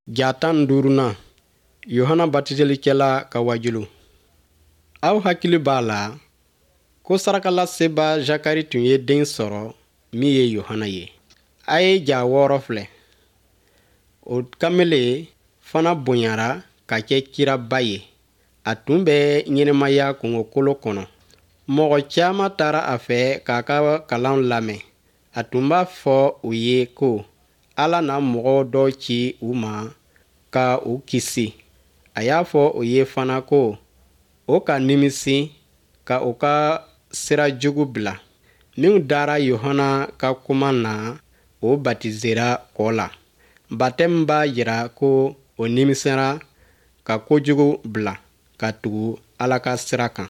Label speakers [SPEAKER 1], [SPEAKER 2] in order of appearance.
[SPEAKER 1] Ja 15nan, Yohana batiselikɛla ka waajuli. Aw hakili b'a la ko sarakalaseba Zakari tun ye den sɔrɔ min ye Yohana ye. A ye ja 6 filɛ. O kamalen fana bonyara ka kɛ kiraba ye. A tun bɛ ɲɛnamaya kungokolo kɔnɔ. Mɔgɔ caman taara a fɛ k'a ka kalan lamɛn. A tun b'a fɔ u ye ko Ala na mɔgɔ dɔ ci u ma ka u kisi. A y'a fɔ u ye fana ko o ka nimisi ka u ka sira jugu bila. Minw dara Yohana ka kuma na, o batisera kɔ la. Batɛmu b'a jira ko o nimisara ka kojugu bila ka tugu Ala ka sira kan.